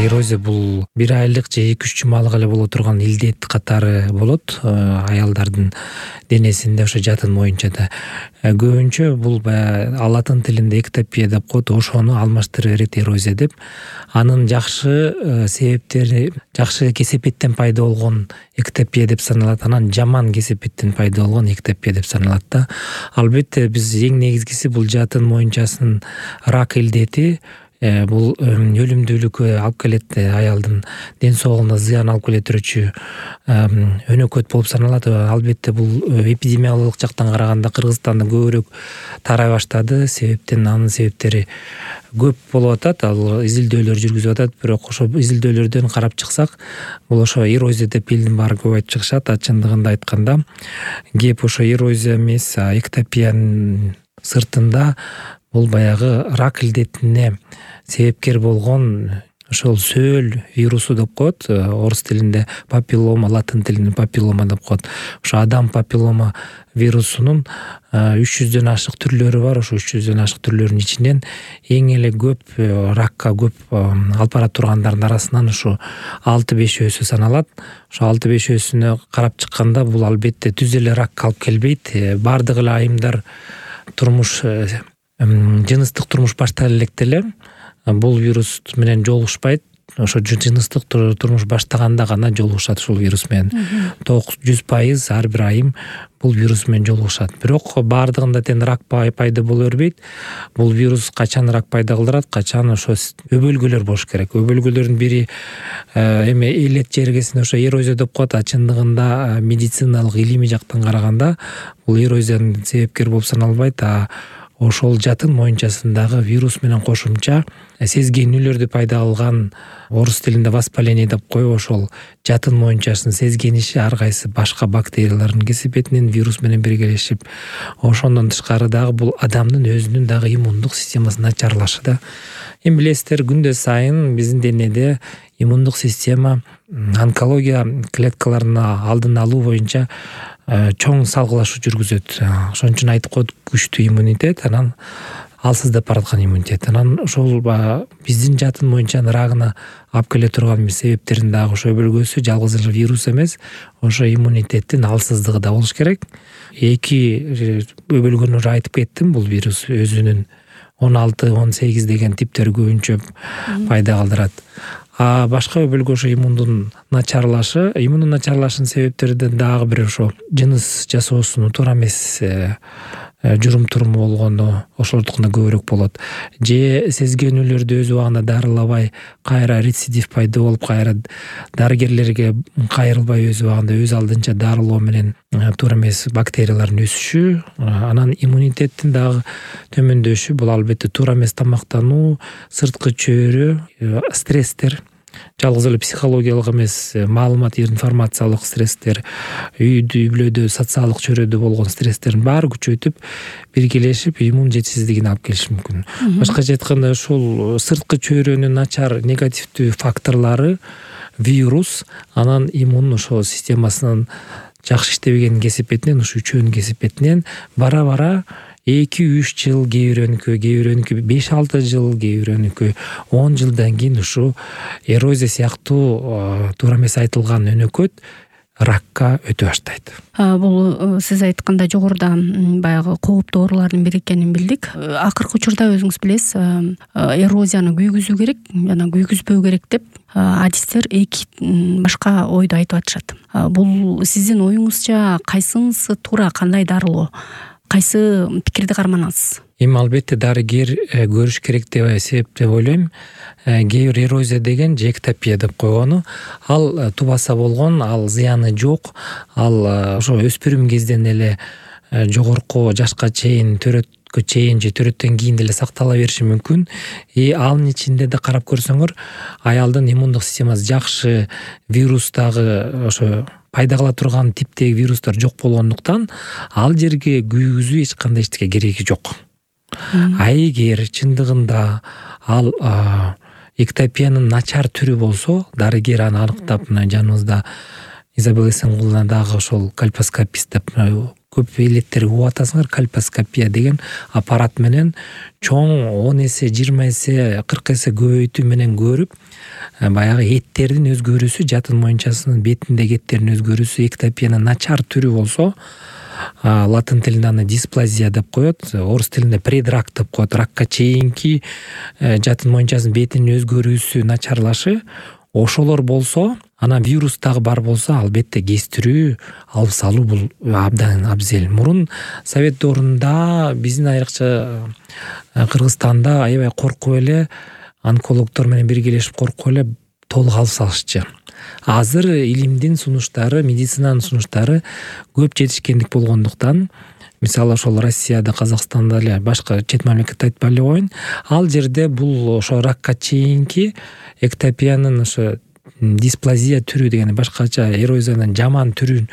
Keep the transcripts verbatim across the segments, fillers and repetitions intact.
эрозия бул бир айлык же эки үч жумалык эле боло турган илдет катары болот аялдардын денесинде, ошо жатын моюнча да. Көбүнчө бул баягы латын тилинде эктопия деп коет, ошону алмаштырып берет эрозия деп. Анын жакшы себептери, жакшы кесепеттен пайда болгон эктопия деп саналат, анан жаман кесепеттен пайда болгон эктопия деп саналат да. Албетте биз эң негизгиси бул жатын моюнчасынын рак илдети, бул өлүмдүүлүккө алып келет, аялдын ден соолугуна зыян алып келе турчу өнөкөт болуп саналат. Албетте бул эпидемиологиялык жактан караганда Кыргызстанда көбүрөөк тарай баштады, себептен анын себептери көп болуп атат, ал изилдөөлөр жүргүзүп атат. Бирок ошо изилдөөлөрдөн карап чыксак, бул ошо эрозия деп элдин баары көп айтып чыгышат. А чындыгында айтканда кеп ошо эрозия эмес, эктопиянын сыртында бул баягы рак илдетине себепкер болгон ошол сөөл вирусу деп коет, орус тилинде папиллома, латын тилинде папиллома деп коет. Ошо адам папиллома вирусунун үч жүздөн ашык түрлөрү бар. Ошо үч жүздөн ашык түрлөрүнүн ичинен эң эле көп ракка көп алып бара тургандардын арасынан ушу алты бешөөсү саналат. Ошо алты бешөөсүнө карап чыкканда бул албетте түз эле ракка алып келбейт. Бардык эле айымдар турмуш жыныстык турмуш баштала электе эле бул вирус менен жолугушпайт. Ошо жыныстык турмуш баштаганда гана жолугушат ушул вирус менен. жүз пайыз ар бир айым бул вирус менен жолугушат. Бирок бардыгында тең рак пайда боло бербейт. Бул вирус качан рак пайда кылдырат, качан ошо өбөлгөлөр болуш керек. Өбөлгөлөрдүн бири эме элет жергесинде ошо эрозия деп коет. А чындыгында медициналык илимий жактан караганда бул эрозиянын себепкери болуп саналбайт. А ошол жатын моюнчасындагы вирус менен кошумча сезгенүүлөрдү пайда кылган, орус тилинде воспаление деп коюп, ошол жатын моюнчасынын сезгениши ар кайсы башка бактериялардын кесепетинен вирус менен биргелешип, ошондон тышкары дагы бул адамдын өзүнүн дагы иммундук системасы начарлашы да. Эми билесиздер, күндө сайын биздин денеде иммундук система онкология клеткаларын алдын алуу боюнча чоң салгылашуу жүргүзөт. Ошон үчүн айтып коет, күчтүү иммунитет, анан алсыздап бараткан иммунитет. Анан ошол биздин жатын моюнчанын рагына алып келе турган себептерин дагы ошо өбөлгөсү жалгыз эле вирус эмес, ошо иммунитеттин алсыздыгы да болуш керек. Эки өбөлгөнү уже айтып кеттим, бул вирус өзүнүн он алты он сегиз деген типтери көбүнчө пайда кылдырат. А башка өбөлгө ошо иммундун начарлашы, иммундун начарлашынын себептеринен дагы бири ошо жыныс жасоосунун туура эмес журум-туруму болгону, ошолдукунда көбүрөөк болот. Же сезгенүүлөрдү өз убагында дарылабай, кайра рецидив пайда болуп, кайра дарыгерлерге кайрылбай өз убагында өз алдынча дарылоо менен туура эмес бактериялардын өсүшү, анан иммунитеттин дагы төмөндөшү. Бул албетте туура эмес тамактануу, сырткы чөйрө, стресстер, жалгыз эле психологиялык эмес, маалымат, информациялык стресстер, үйдө, үй-бүлөдө, социалдык чөйрөдө болгон стрессттердин баары күчөйтүп, биргелешип иммун жетишсиздигин алып келиши мүмкүн. Башкача айтканда, ушул сырткы чөйрөнүн начар негативдүү факторлору вирус, анан иммун ошо системасынын жакшы иштебеген кесепетинен, ушу үчөөнүн кесепетинен бара-бара эки үч жыл, кээ бирөөнүкү, кээ бирөөнүкү беш алты жыл, кээ бирөөнүкү он жылдан кийин ушу эрозия сыяктуу туура эмес айтылган өнөкөт ракка өтө баштайт. Бул сиз айткандай жогоруда баягы кооптуу оорулардын бири экенин билдик. Акыркы учурда өзүңүз билесиз, эрозияны күйгүзүү керек жана күйгүзбөө керек деп адистер эки башка ойду айтып атышат. Бул сиздин оюңузча кайсынысы туура, кандай дарылоо? Кайсы пикирди карманасыз? Эми албетте дарыгер көрүш керек деп эсеп деп ойлойм. Кээ бир эрозия деген же эктопия деп койгону, ал тубаса болгон, ал зыяны жок, ал ошо өспүрүм кезден эле жогорку жашка чейин, төрөткө чейин же төрөттөн кийин деле сактала бериши мүмкүн. И анын ичинде да карап көрсөңөр, аялдын иммундук системасы жакшы, вирус дагы ошо пайда кыла турган типтеги вирустар жок болгондуктан ал жерге күйгүзүү эч кандай эчтеке кереги жок. А эгер чындыгында ал эктопиянын начар түрү болсо, дарыгер аны аныктап, жаныбызда Изабелла Эсенгуловна дагы ошол кальпоскопист деп көп элеттерди угуп атасыңар, кальпоскопия деген аппарат менен чоң он эсе, жыйырма эсе, кырк эсе көбөйтүү менен көрүп, баягы эттердин өзгөрүүсү, жатын моюнчасынын бетиндеги эттердин өзгөрүүсү, эктопиянын начар түрү болсо, латын тилинде аны дисплазия деп коет, орус тилинде предрак деп коет. Ракка чейинки жатын моюнчасынын бетинин өзгөрүүсү, начарлашы, ошолор болсо, анан вирус дагы бар болсо, албетте кездирүү, алып салуу бул абдан абзел. Мурун совет доорунда биздин айрыкча Кыргызстанда аябай коркуп эле, онкологдор менен биргелешип коркуп эле толук алып салышчы. Азыр илимдин сунуштары, медицинанын сунуштары көп жетишкендик болгондуктан, мисалы ошол Россияда, Казакстанда эле, башка чет мамлекетте айтпай эле коеюн, ал жерде бул ошо ракка чейинки эктопиянын ошо дисплазия түрү деген, башкача эрозиянын жаман түрүн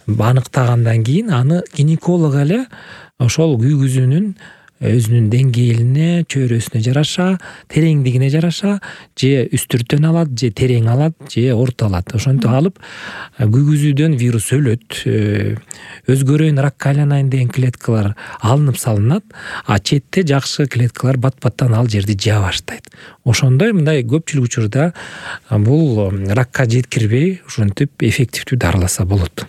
аныктагандан кийин аны гинеколог эле ошол күйгүзүүнүн өзүнүн деңгээлине, чөйрөсүнө жараша, тереңдигине жараша же үстүртөн алат, же терең алат, же орто алат. Ошентип алып күйгүзүүдөн вирус өлөт, өзгөрөйүн, ракка айланайын деген клеткалар алынып салынат, а четте жакшы клеткалар бат-баттан ал жерди жаа баштайт. Ошондой мындай көпчүлүк учурда бул ракка жеткирбей, ушинтип эффективдүү дарыласа болот.